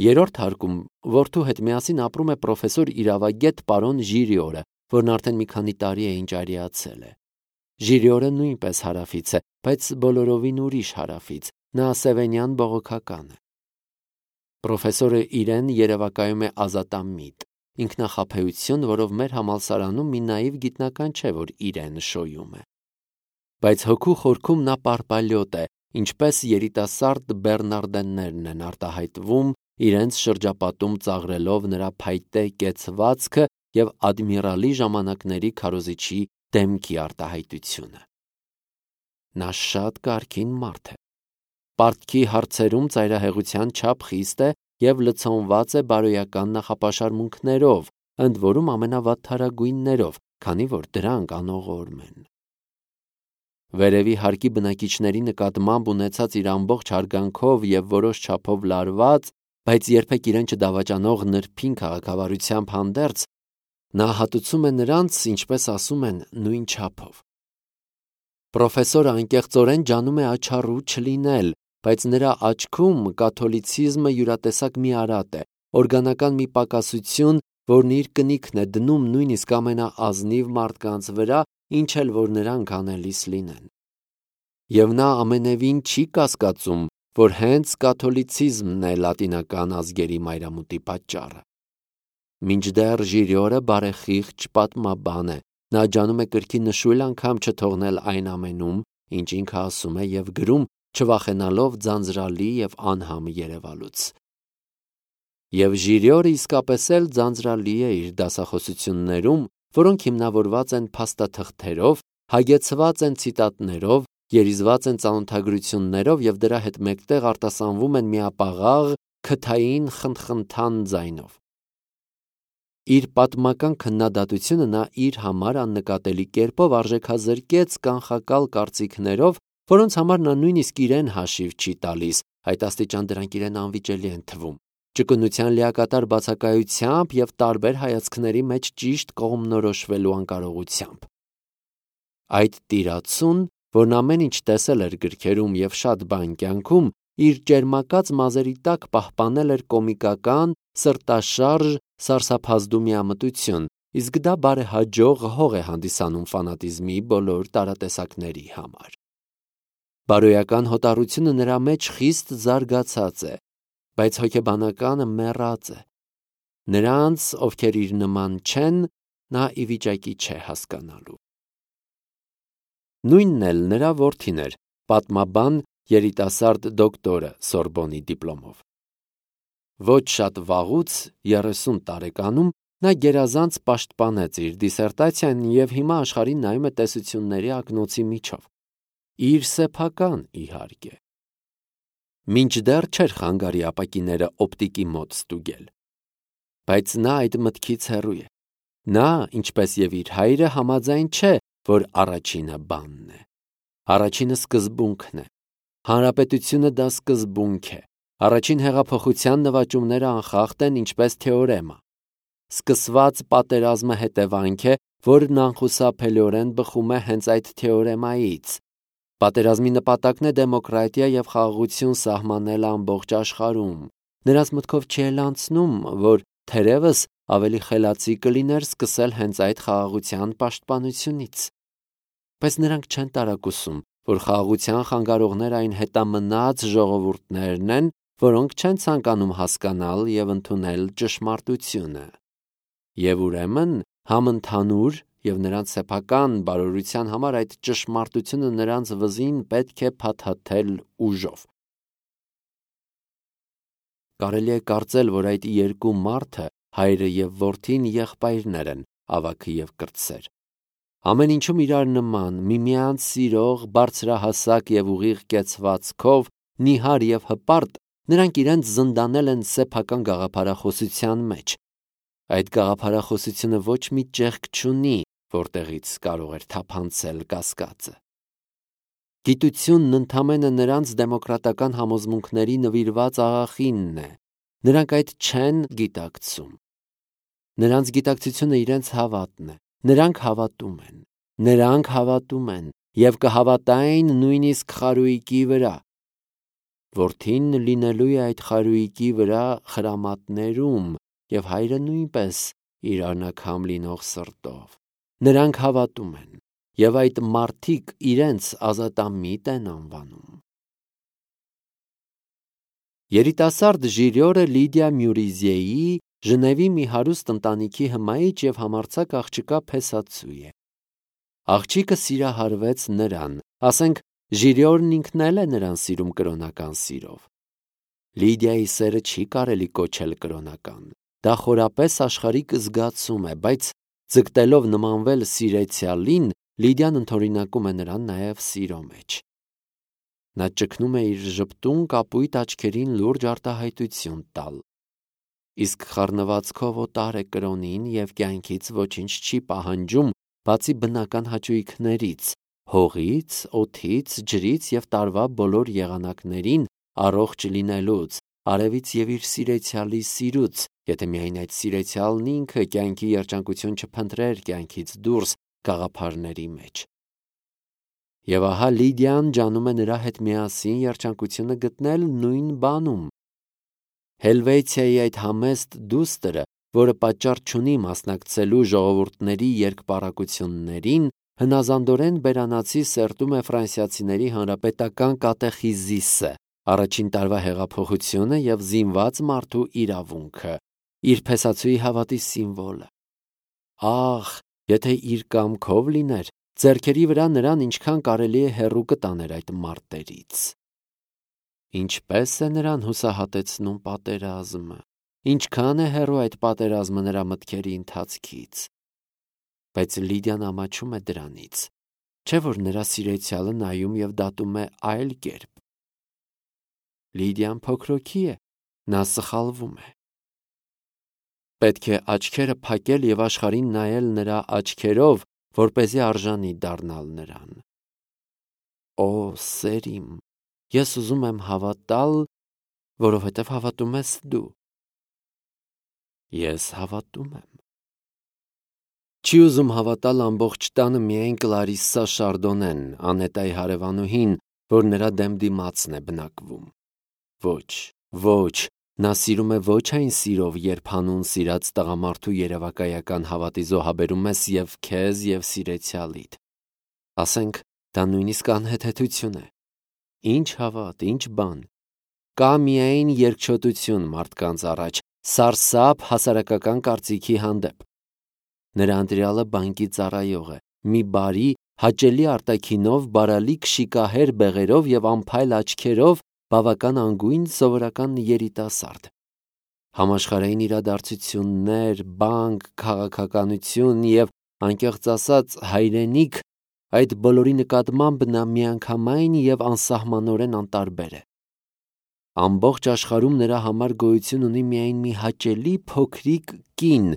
Երրորդ հարկում որդու հետ միասին ապրում է պրոֆեսոր իրավագետ պարոն Ժիրիորը, որն արդեն մի քանի տարի է ինչ արիացել է։ Ժիրիորը նույնպես հարավից է, բայց բոլորովին ուրիշ հարավից, նա Սևենյան բողոքական է։ Պրոֆեսորը իրեն երևակայում է ազատամիտ, ինքնախաբեություն, որով մեր համալսարանում մի նաիվ գիտնական չէ, որ իրեն շոյում է։ Բայց հոգու խորքում նա պարպալյոտ է, ինչպես երիտասարդ բեռնարդեններն են արտահայտվում, իրենց շրջապատում ծաղրելով նրա փայտե կեցվածքը և ադմիրալի ժամանակների քարոզիչի դեմքի արտահայտությունը։ Նա շատ կարգին մարդ է։ Պարտքի հարցերում ծայրահեղության չափ խիստ է և լցոնված է բարոյական նախապաշարմունքներով, ընդ որում ամենավատթարագույններով, քանի որ դրանք անողորմ են։ Վերևի հարկի բնակիչների նկատմամբ ունեցած իր ամբողջ հարգանքով և որոշ չափով լարված, բայց երբեք իրեն չդավաճանող նրբին քաղաքավարությամբ հանդերձ, նա հատուցում է նրանց, ինչպես ասում են, նույն չափով։ Պրոֆեսորը անկեղծորեն ջանում է աչառու չլինել, բայց նրա աչքում կաթոլիցիզմը յուրատեսակ մի արատ է, օրգանական մի պակասություն, որն իր կնիքն է դնում նույնիսկ ամենաազնիվ մարդկանց վրա, ինչ էլ որ նրանք անելիս լինեն։ Եվ նա ամենևին չի կասկածում, որ հենց կաթոլիցիզմն է լատինական ազգերի մայրամուտի պատճառը։ Մինչդեռ Ժիրիորը բարեխիղճ պատմաբան է, նա ջանում է կրկի նշույլ անգամ չթողնել այն ամենում, ինչ ինքը ասում է և գրում, չվախենալով ձանձրալի և անհամ երևալուց։ Եվ Ժիրիորը իսկապես էլ ձանձրալի է իր դասախոսություններում, որոնք հիմնավորված են փաստաթղթերով, հագեցված են ցիտատներով, երիզված են ծանոթագրություններով և դրա հետ մեկտեղ արտասանվում են միապաղաղ, քթային խնդխնդան ձայնով։ Իր պատմական քննադատությունը նա իր համար աննկատելի կերպով արժեքազրկեց կանխակալ կարծիքներով, որոնց համար նա նույնիսկ իրեն հաշիվ չի տալիս, այդ աստիճան դրանք իրեն անվիճելի են թվում, ճկունության լիակատար բացակայությամբ և տարբեր հայացքների մեջ ճիշտ կողմնորոշվելու անկարողությամբ։ Այդ տիրացուն, որն ամեն ինչ տեսել էր գրքերում և շատ բան կյանքում, իր ճերմակած մազերի տակ պահպանել էր կոմիկական, սրտաշարժ, սարսափազդու միամտություն, իսկ դա բարեհաջող հող է հանդիսանում ֆանատիզմի բոլոր տարատեսակների համար։ Բարոյական հոտառությունը նրա մեջ խիստ զարգացած է, բայց հոգեբանականը մեռած է։ Նրանց, ովքեր իր նման չեն, նա ի վիճակի չէ հասկանալու։ Նույնն էլ նրա որդին էր, պատմաբան երիտասարդ դոկտորը Սորբոնի դիպլոմով։ Ոչ շատ վաղուց, 30 տարեկանում, նա գերազանց պաշտպանեց իր դիսերտացիան և հիմա աշխարհին նայում է տեսությունների ակնոցի միջով։ Իր սեփական, իհարկե։ Մինչդեռ չէր խանգարի ապակիները օպտիկի մոտ ստուգել։ Բայց նա այդ մտքից հեռու է։ Նա, ինչպես և իր հայրը, համաձայն չէ, որ առաջինը բանն է։ Առաջինը սկզբունքն է։ Հանրապետությունը դա սկզբունք է։ Առաջին հեղափոխության նվաճումները անխախտ են, ինչպես թեորեմա։ Սկսված պատերազմը հետևանք է, որն անխուսափելիորեն բխում է հենց այդ թեորեմայից։ Պատերազմի նպատակն է դեմոկրատիա և խաղաղություն սահմանել ամբողջ աշխարհում։ Նրանց մտքով չի էլ անցնում, որ թերևս ավելի խելացի կլիներ սկսել հենց այդ խաղաղության պաշտպանությունից։ Բայց նրանք չեն տարակուսում, որ խաղաղության խանգարողները այն հետամնաց ժողովուրդներն են, որոնք չեն ցանկանում հասկանալ և ընդունել ճշմարտությունը։ Եվ ուրեմն համընդհանուր և նրանց սեփական բարօրության համար այդ ճշմարտությունը նրանց վզին պետք է փաթաթել ուժով։ Կարելի է կարծել, որ այդ երկու մարդը, հայրը և որդին, եղբայրներ են, ավագը և կրտսեր։ Ամեն ինչում իրար նման, միմյանց սիրող, բարձրահասակ և ուղիղ կեցվածքով, նիհար և հպարտ, նրանք իրենց զնդանել են սեփական գաղափարախոսության մեջ։ Այդ գաղափարախոսությունը ոչ մի ճեղք չունի, որտեղից կարող էր թափանցել կասկածը։ Գիտությունն ընդամենը նրանց դեմոկրատական համոզմունքների նվիրված աղախինն է։ Նրանք այդ չեն գիտակցում։ Նրանց գիտակցությունը իրենց հավատն է։ Նրանք հավատում են։ Նրանք հավատում են և կհավատային նույնիսկ խարույկի վրա։ Որդին լինելու է այդ խարույկի վրա խրամատներում և հայրը նույնպես իր անաքամ լինող սրտով։ Նրանք հավատում են և այդ մարդիկ իրենց ազատամիտ են անվանում։ Երիտասարդ Ժիրիորը Լիդիա Մյուրիզեի Ժնևի մի հարուստ ընտանիքի հմայիչ և համարձակ աղջկա փեսացու է։ Աղջիկը սիրահարվեց նրան, ասենք Ժիրիորն ինքն էլ է նրան սիրում կրոնական սիրով։ Լիդիայի սերը չի կարելի կոչել կրոնական, դա խորապես աշխարհիկ զգացում է, բայց ձգտելով նմանվել սիրեցյալին, Լիդիան ընդօրինակում է նրան նաև սիրո մեջ։ Նա ճգնում է իր ժպտուն կապույտ աչքերին լուրջ արտահայտություն տալ, իսկ խառնվածքով օտար է կրոնին և կյանքից ոչինչ չի պահանջում, բացի բնական հաճույքներից՝ հողից, օդից, ջրից և տարվա բոլոր եղանակներին առողջ լինելուց, արևից և իր սիրեցյալի սիրուց, եթե միայն այդ սիրեցյալն ինքը կյանքի երջանկություն չփնտրեր կյանքից դուրս գաղափարների մեջ։ Եվ ահա Լիդիան ջանում է նրա հետ միասին երջանկությունը գտնել նույն բանում։ Հելվեցիայի այդ համեստ դուստրը, որը պատճառ չունի մասնակցելու ժողովուրդների երկպառակություններին, հնազանդորեն բերանացի սերտում է ֆրանսիացիների հանրապետական կատեխիզիսը, առաջին տարվա հեղափոխությունը և զինված մարդու իրավունքը, իր փեսացուի հավատի սիմվոլը։ Ահ, եթե իր կամքով լիներ, ձեռքերի վրա նրան ինչքան կարելի է հեռու կտաներ այդ մարտերից։ Ինչպես է նրան հուսահատեցնում պատերազմը, ինչքան է հեռու այդ պատերազմը նրա մտքերի ընթացքից։ Բայց Լիդիան ամաչում է դրանից, չէ՞ որ նրա սիրեցյալը նայում և դատում է այլ կերպ։ Լիդիան փոքրոքի է, նա սխալվում է։ Պետք է աչքերը փակել և աշխարհին նայել նրա աչքերով, որպեսզի արժանի դառնալ նրան։ Օ, սեր իմ, ես ուզում եմ հավատալ, որովհետև հավատում ես դու։ Ես հավատում եմ։ Չի ուզում հավատալ ամբողջ տանը միայն Կլարիսսա Շարդոնեն, Անետայի հարևանուհին, որ նրա դեմ դիմացն է բնակվում։ Ոչ, ոչ, նա սիրում է ոչ այն սիրով, երբ հանուն սիրած տղամարդու երևակայական հավատի զոհաբերում ես և քեզ և սիրեցյալիդ։ Ասենք, դա նույնիսկ անհեթեթություն է։ Ինչ հավատ, ինչ բան։ Կա միայն երկչոտություն մարդկանց առաջ, սարսափ հասարակական կարծիքի հանդեպ։ Նրա ընտրյալը բանկի ծառայող է, մի բարի, հաճելի արտաքինով, բարալիկ շիկահեր բեղերով և անփայլ աչքերով, բավական անգույն սովորական երիտասարդ։ Համաշխարհային իրադարձություններ, բանկ, քաղաքականություն և, անկեղծ ասած, հայրենիք, այդ բոլորի նկատմամբ նա միանգամայն և անսահմանորեն անտարբեր է։ Ամբողջ աշխարհում նրա համար գոյություն ունի միայն մի հաճելի փոքրիկ կին,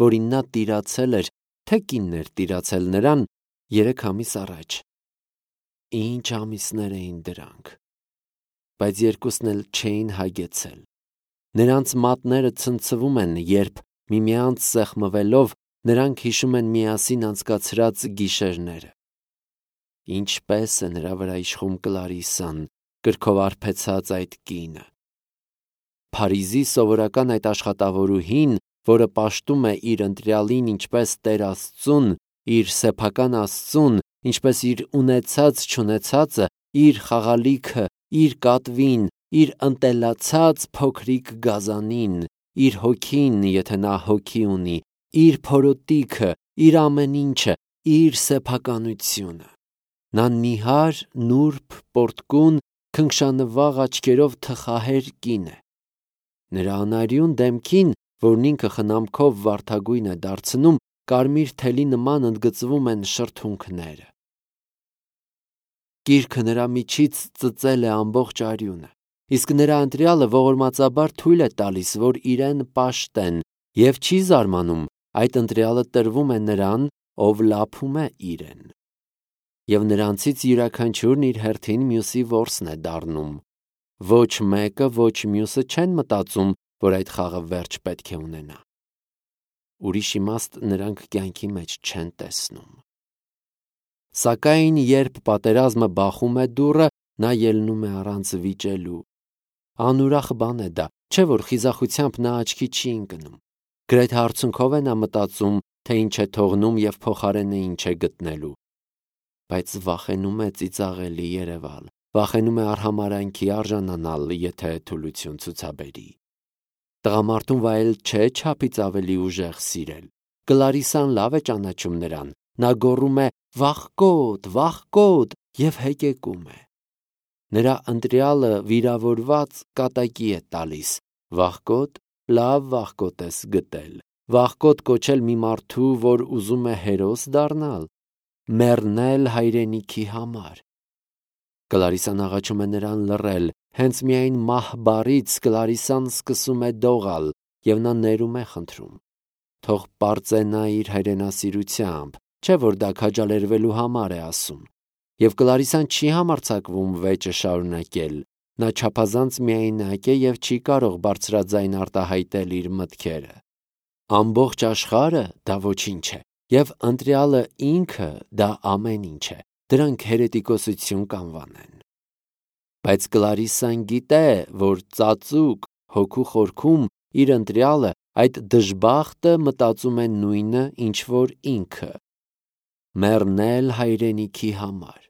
որին նա տիրացել էր, թե կինն էր տիրացել նրան 3 ամիս առաջ։ Ինչ ամիսներ էին դրանք։ Բայց երկուսն էլ չէին հագեցել։ Նրանց մատները ցնցվում են, երբ միմյանց սեղմվելով նրանք հիշում են միասին անցկացրած գիշերները։ Ինչպես է նրա վրա իշխում Կլարիսսան, կրքով արբեցած այդ կինը։ Փարիզի սովորական այդ աշխատավորուհին, որը պաշտում է իր ընտրյալին ինչպես Տեր Աստծուն, իր սեփական Աստծուն, ինչպես իր ունեցած-չունեցածը, իր խաղալիքը, իր կատվին, իր ընտելացած փոքրիկ գազանին, իր հոգին, եթե նա հոգի ունի, իր փորոտիքը, իր ամեն ինչը, իր սեփականությունը։ Նա նիհար, նուրբ, պոռթկուն, քնքշանվաղ աչքերով թխահեր կին է։ Նրա անարյուն դեմքին, որն ինքը խնամքով վարդագույն է դարձնում, կարմիր թելի նման ընդգծվում են շրթունքները։ Կիրքը նրա միջից ծծել է ամբողջ արյունը, իսկ նրա ընտրյալը ողորմածաբար թույլ է տալիս, որ իրեն պաշտեն, և չի զարմանում, այդ ընտրյալը տրվում է նրան, ով լափում է իրեն։ Եվ նրանցից յուրաքանչյուրն իր հերթին մյուսի որսն է դառնում։ Ոչ մեկը, ոչ մյուսը չեն մտածում, որ այդ խաղը վերջ պետք է ունենա։ Ուրիշ իմաստ նրանք կյանքի մեջ չեն տեսնում։ Սակայն երբ պատերազմը բախում է դուռը, նա ելնում է առանց վիճելու, Անուրախ բան է դա, չէ՞ որ խիզախությամբ նա աչքի չի ընկնում։ Գրեթե արցունքով է նա մտածում, թե ինչ է թողնում և փոխարենը ինչ է գտնելու։ Բայց վախենում է ծիծաղելի երևալ, վախենում է արհամարհանքի արժանանալ, եթե թուլություն ցուցաբերի։ Տղամարդուն վայել չէ չափից ավելի ուժեղ սիրել։ Կլարիսան լավ է ճանաչում նրան, նա գոռում է «Վախկոտ, վախկոտ» և հեկեկում է։ Նրա ընտրյալը վիրավորված կատակի է տալիս։ Վախկոտ, լավ վախկոտ ես գտել։ Վախկոտ կոչել մի մարդու, որ ուզում է հերոս դառնալ, մեռնել հայրենիքի համար։ Կլարիսան աղաչում է նրան լռել, հենց միայն մահ բառից Կլարիսան սկսում է դողալ, և նա ներում է խնդրում։ Թող պարծենա իր հայրենասիրությամբ, չէ՞ որ դա քաջալերվելու համար է ասում։ Եվ Կլարիսան չի համարձակվում վեճը շարունակել։ Նա չափազանց միայնակ է և չի կարող բարձրաձայն արտահայտել իր մտքերը։ Ամբողջ աշխարհը դա ոչինչ է, և ընտրյալը ինքը դա ամեն ինչ է։ Դրանք հերետիկոսություն կանվանեն։ Բայց Կլարիսան գիտե, որ ծածուկ հոգու խորքում իր ընտրյալը, այդ դժբախտը մտածում է նույնը, ինչ որ ինքը՝ մեռնել հայրենիքի համար։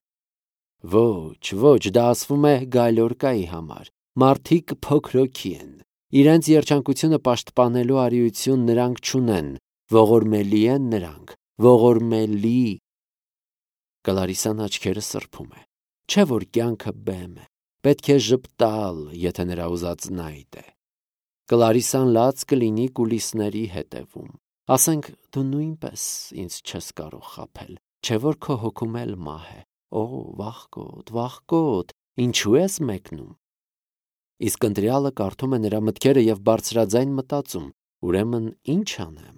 Ոչ, դա ասվում է գալորկայի համար։ Մարդիկ փոքրոքի են։ Իրենց երջանկությունը պաշտպանելու արիություն նրանք չունեն, ողորմելի են նրանք, ողորմելի։ Կլարիսան աչքերը սրբում է։ Չէ՞ որ կյանքը բեմ է, պետք է ժպտալ, եթե նրա ուզածն այդ է։ Կլարիսան լաց կլինի կուլիսների հետևում։ Ասենք դու նույնպես ինձ չես կարող խաբել, չէ՞ որ քո հոգում էլ մահ է։ Օ, վախկոտ, վախկոտ, ինչու ես մեկնում։ Իսկ ընտրյալը կարդում է նրա մտքերը և բարձրաձայն մտածում. ուրեմն ինչ անեմ։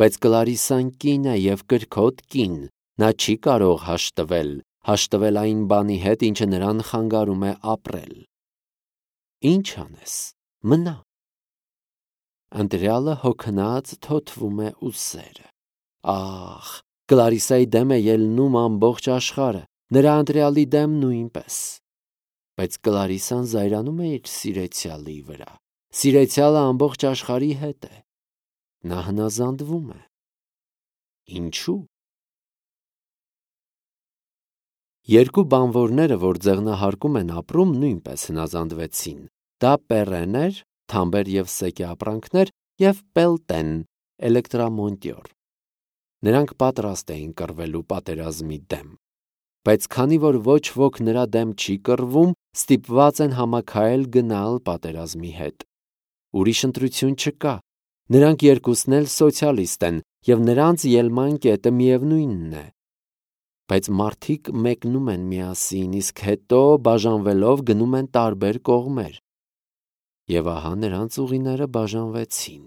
Բայց Կլարիսան կին է և կրքոտ կին, նա չի կարող հաշտվել այն բանի հետ, ինչը նրան խանգարում է ապրել։ Ինչ անես, մնա։ Ընտրյալը հոգնած թոթվում է ուսերը։ Ահ, Կլարիսայի դեմ է ելնում ամբողջ աշխարհը, նրա ընտրյալի դեմ նույնպես։ Բայց Կլարիսան զայրանում է իր սիրեցյալի վրա։ Սիրեցյալը ամբողջ աշխարհի հետ է։ Նա հնազանդվում է։ Ինչու՞։ Երկու բանվորները, որ ձեղնահարկում են ապրում, նույնպես հնազանդվեցին։ Դա Պեռեն էր, թամբեր և սեկե ապրանքներ, և Պելտեն, էլեկտրամոնտյոր։ Նրանք պատրաստ էին կռվելու պատերազմի դեմ։ Բայց քանի որ ոչ ոք նրա դեմ չի կռվում, ստիպված են համաքայլ գնալ պատերազմի հետ։ Ուրիշ ընտրություն չկա։ Նրանք երկուսն էլ սոցիալիստ են, և նրանց ելման կետը միևնույնն է։ Բայց մարդիկ մեկնում են միասին, իսկ հետո բաժանվելով գնում են տարբեր կողմեր։ Եվ ահա նրանց ուղիները բաժանվեցին։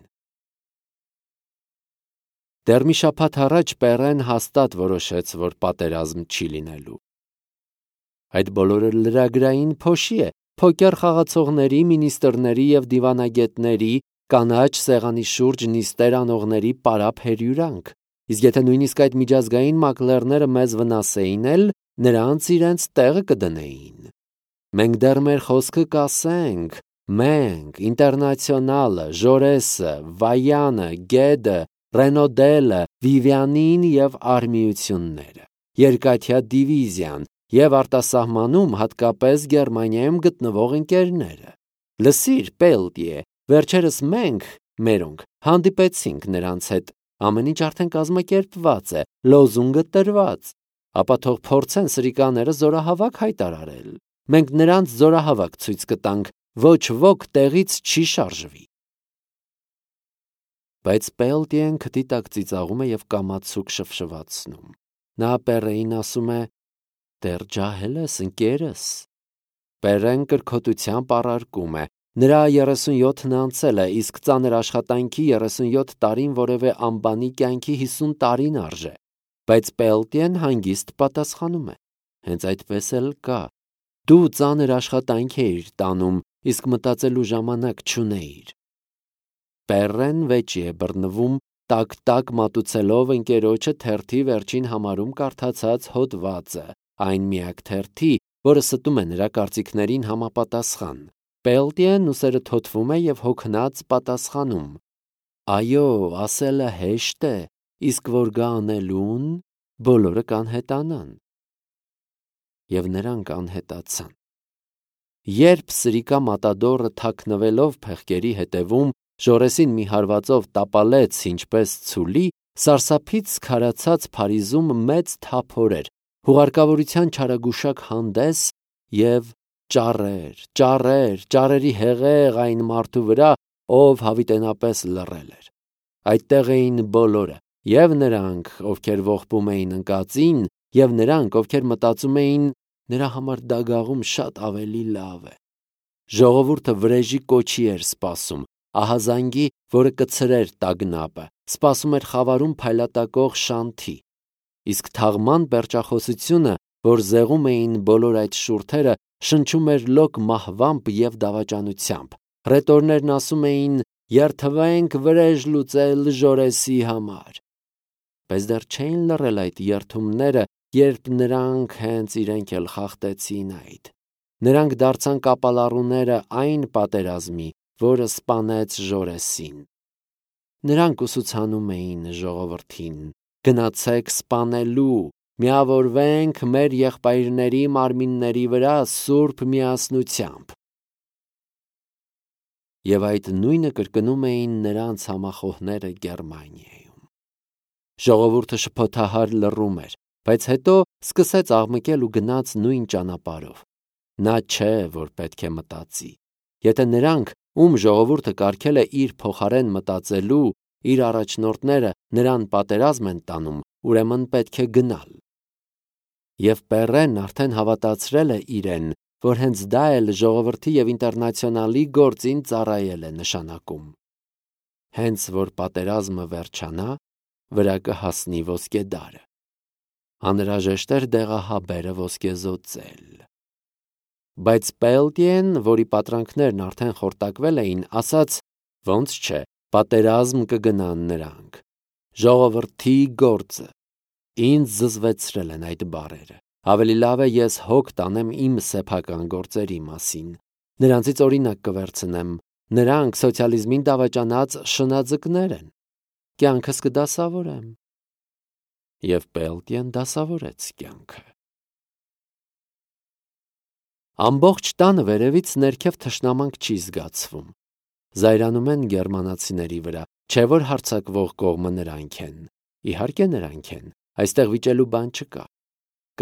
Դեռ մի շաբաթ առաջ Պեռեն հաստատ որոշեց, որ պատերազմ չի լինելու։ Այդ բոլորը լրագրային փոշի է, փոկեր խաղացողների, մինիստրների և դիվանագետների, կանաչ սեղանի շուրջ նիստեր անողների պարապ հրյուրանք։ Իսկ եթե նույնիսկ այդ միջազգային մակլերները մեզ վնասեին էլ, նրանց իրենց տեղը կդնեին։ Մենք դեռ մեր խոսքը կասենք, մենք, Ինտերնացիոնալը, Ժորեսը, Վայանը, Գեդը, Ռենոդելը, Վիվյանին և արմիությունները, երկաթյա դիվիզիան և արտասահմանում, հատկապես Գերմանիայում գտնվող ընկերները։ Լսիր, Պելտիե, վերջերս մերոնք հանդիպեցինք նրանց հետ, ամեն ինչ արդեն կազմակերպված է, լոզունգը տրված, ապա թող փորձեն սրիկաները զորահավաք հայտարարել։ Մենք նրանց զորահավաք ցույց կտանք, ոչ ոք տեղից չի շարժվի։ Բայց Պելտիեն քթի տակ ծիծաղում է և կամացուկ շվշվացնում։ Նա Պեռեին ասում է. «Դեռ ջահել ես, ընկերս»։ Պեռեն կրքոտությամբ առարկում է. նրա 37-ն անցել է, իսկ ծանր աշխատանքի 37 տարին որևէ անբանի կյանքի 50 տարին արժե։ Բայց Պելտիեն հանգիստ պատասխանում է. հենց այդպես էլ կա։ Դու ծանր աշխատանք էիր տանում, իսկ մտածելու ժամանակ չունեիր։ Պեռեն վեճի է բռնվում, տակ-տակ մատուցելով ընկերոջը թերթի վերջին համարում կարդացած հոդվածը, այն միակ թերթի, որը ստում է նրա կարծիքներին համապատասխան։ Պելտիեն ուսերը թոթվում է և հոգնած պատասխանում. Այո, ասելը հեշտ է, իսկ որ գա անելուն, բոլորը կանհետանան։ Եվ նրանք անհետացան։ Երբ սրիկա մատադորը թաքնվելով փեղկերի հետևում Ժորեսին մի հարվածով տապալեց ինչպես ցուլի, սարսափից քարացած Փարիզում մեծ թափոր էր, հուղարկավորության չարագուշակ հանդես և ճառերի հեղեղ այն մարդու վրա, ով հավիտենապես լռել էր։ Այդտեղ էին բոլորը, և նրանք, ովքեր ողբում էին ընկածին, և նրանք, ովքեր մտածում էին նրա համար դագաղում շատ ավելի լավ է։ Ժողովուրդը վրեժի կոչի էր սպասում, ահազանգի, որը կցրեր տագնապը, սպասում էր խավարում փայլատակող շանթի։ Իսկ թաղման պերճախոսությունը, որ զեղում էին բոլոր այդ շուրթերը, շնչում էր լոկ մահվամբ և դավաճանությամբ։ Հռետորներն ասում էին. «Երդվենք վրեժ լուծել Ժորեսի համար»։ Բայց դեռ չէին լռել այդ երդումները, երբ նրանք հենց իրենք էլ խախտեցին այդ։ Նրանք դարձան կապալառուները այն պատերազմի, որը սպանեց Ժորեսին։ Նրանք ուսուցանում էին ժողովրդին. «Գնացեք սպանելու, միավորվենք մեր եղբայրների մարմինների վրա սուրբ միասնությամբ»։ Եվ այդ նույնը կրկնում էին նրանց համախոհները Գերմանիայում։ Ժողովուրդը շփոթահար լռում էր, բայց հետո սկսեց աղմկել ու գնաց նույն ճանապարհով։ Նա չէ, որ պետք է մտածի։ Եթե նրանք, ում ժողովուրդը կարգել է իր փոխարեն մտածելու, իր առաջնորդները նրան պատերազմ են տանում, ուրեմն պետք է գնալ։ Եվ Պեռեն արդեն հավատացրել է իրեն, որ հենց դա էլ ժողովրդի և ինտերնացիոնալի գործին ծառայել է նշանակում։ Հենց որ պատերազմը վերջանա, վրա կհասնի ոսկեդարը։ Անհրաժեշտ էր դեղահաբերը ոսկեզօծել։ Բայց Պելտիեն, որի պատրանքներն արդեն խորտակվել էին, ասաց. «Ոնց չէ, պատերազմ կգնան նրանք։ Ժողովրդի գործը»։ Ինձ զզվեցրել են այդ բառերը։ Ավելի լավ է ես հոգ տանեմ իմ սեփական գործերի մասին։ Նրանցից օրինակ կվերցնեմ։ Նրանք սոցիալիզմին դավաճանած շնաձկներ են։ Կյանքս կդասավորեմ։ Եվ Պելտիեն դասավորեց կյանքը։ Ամբողջ տանը վերևից ներքև թշնամանք չի զգացվում։ Զայրանում են գերմանացիների վրա, չէ որ հարձակվող կողմը նրանք են։ Իհարկե նրանք են, այստեղ վիճելու բան չկա։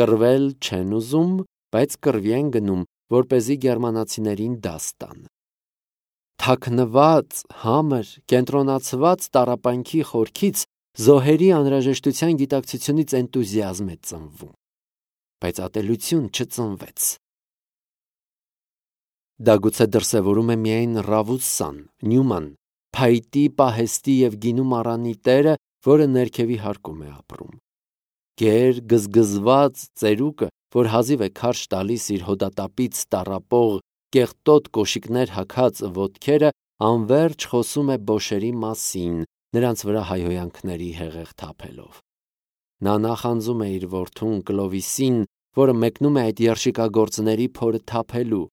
Կռվել չեն ուզում, բայց կռվի են գնում, որպեսզի գերմանացիներին դաս տան։ Թաքնված, համր, կենտրոնացված տառապանքի խորքից զոհերի անհրաժեշտության գիտակցությունից էնտուզիազմ է ծնվում, բայց ատելություն չծնվեց։ Դա գուցե դրսևորում է միայն Ռավուսան, Նյուման, փայտի, պահեստի և գինու մառանի տերը, որը ներքևի հարկում է ապրում։ Գեր, գզգզված ծերուկը, որ հազիվ է քարշ տալիս իր հոդատապից տառապող, կեղտոտ կոշիկներ հագած ոտքերը, անվերջ խոսում է բոշերի մասին, նրանց վրա հայհոյանքների հեղեղ թափելով։ Նա նախանձում է իր որդուն Կլովիսին, որը մեկնում է այդ երշիկագործների փորը թափելու։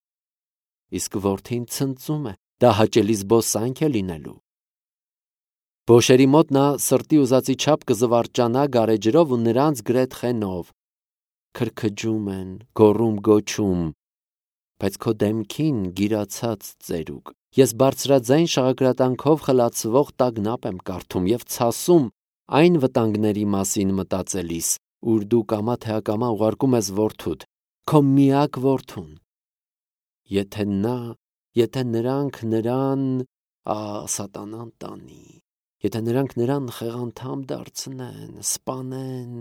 Իսկ որդին ցնծում է, դա հաճելի զբոսանք է լինելու։ Բոշերի մոտ նա սրտի ուզածի չափ կզվարճանա գարեջրով ու նրանց գրեթխենով։ Քրքջում են, գոռում-գոչում, բայց քո դեմքին գիրացած ծերուկ, ես բարձրաձայն շաղակրատանքով խլացվող տագնապ եմ կարդում և ցասում այն վտանգների մասին մտածելիս, ուր դու կամա թե ակամա ուղարկում ես որդուդ, քո միակ որդուն։ Եթե նրանք նրան, սատանան տանի, եթե նրանք նրան խեղանդամ դարձնեն, սպանեն,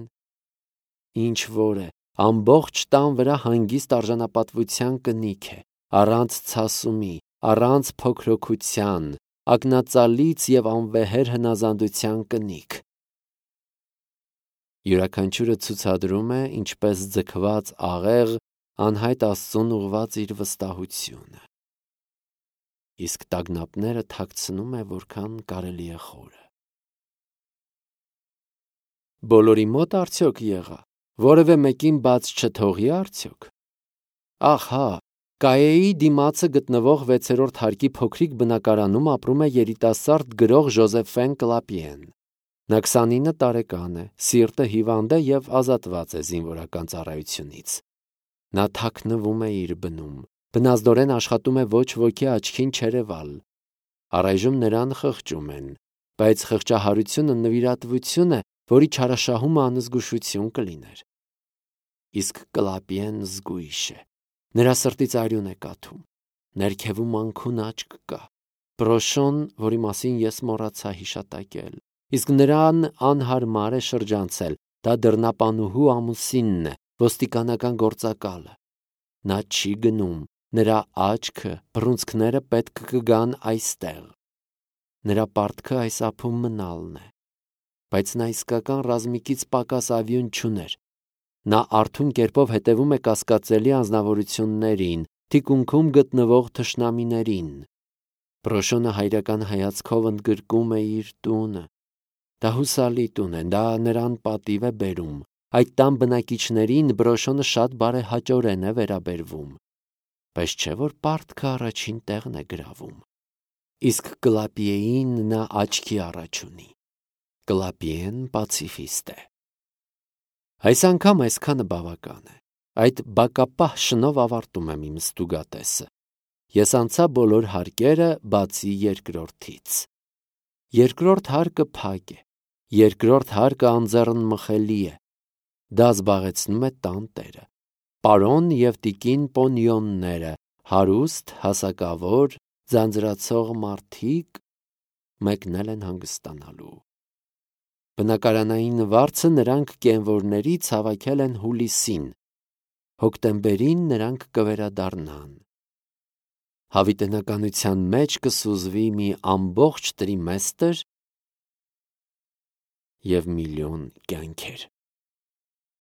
ինչ որ է, ամբողջ տան վրա հանգիստ արժանապատվության կնիք է, առանց ցասումի, առանց փոքրոքության, ակնածալից և անվեհեր հնազանդության կնիք։ Յուրաքանչյուրը ցուցադրում է, ինչպես ձգված աղեղ, անհայտ Աստծուն ուղղված իր վստահությունը։ Իսկ տագնապները թաքցնում է, որքան կարելի է խորը։ Բոլորի մոտ արդյոք եղա, որևէ մեկին բաց չթողի արդյոք։ Ահա, Կայեի դիմացը գտնվող 6-րդ հարկի փոքրիկ բնակարանում ապրում է երիտասարդ գրող Ժոզեֆեն Կլապիեն։ Նա 29 տարեկան է, սիրտը հիվանդ է և ազատված է զինվորական ծառայությունից։ Նա թաքնվում է իր բնում, բնազդորեն աշխատում է ոչ ոքի աչքին չերևալ։ Առայժմ նրան խղճում են, բայց խղճահարությունը նվիրատվություն է, որի չարաշահումը անզգուշություն կլիներ։ Իսկ Կլապիեն զգույշ է։ Նրա սրտից արյուն է կաթում, ներքևում անքուն աչք կա։ Բրոշոն, որի մասին ես մոռացա հիշատակել, իսկ նրան անհարմար է շրջանցել, դա դռնապանուհու ամուսինն է, ոստիկանական գործակալը։ Նա չի գնում, նրա աչքը, բռունցքները պետք կգան այստեղ։ Նրա պարտքը այս ափում մնալն է, բայց նա իսկական ռազմիկից պակաս ավյուն չուներ։ Նա արթուն կերպով հետևում է կասկածելի անձնավորություններին, թիկունքում գտնվող թշնամիներին։ Բրոշոնը հայրական հայացքով ընդգրկում է իր տունը։ Դա հուսալի տուն է, դա նրան պատիվ է բերում։ Այդ տան բնակիչներին Բրոշոնը շատ բարեհաճորեն է վերաբերվում, բայց չէ որ պարտքը առաջին տեղն է գրավում։ Իսկ Կլապիեին նա աչքի առաջ ունի։ Կլապիեն պացիֆիստ է։ Այս անգամ այսքանը բավական է։ Այդ բակապահ շնով ավարտում եմ իմ ստուգատեսը։ Ես անցա բոլոր հարկերը, բացի երկրորդից։ Երկրորդ հարկը փակ է։ Երկրորդ հարկը անձեռնմխելի է։ Դա զբաղեցնում է տան տերը։ Պարոն և տիկին Պոնիոնները, հարուստ, հասակավոր, ձանձրացող մարդիկ մեկնել են հանգստանալու։ Բնակարանային վարձը նրանք կենվորներից հավաքել են հուլիսին, հոկտեմբերին նրանք կվերադառնան։ Հավիտենականության մեջ կսուզվի մի ամբողջ տրիմեստր և միլիոն կյանքեր։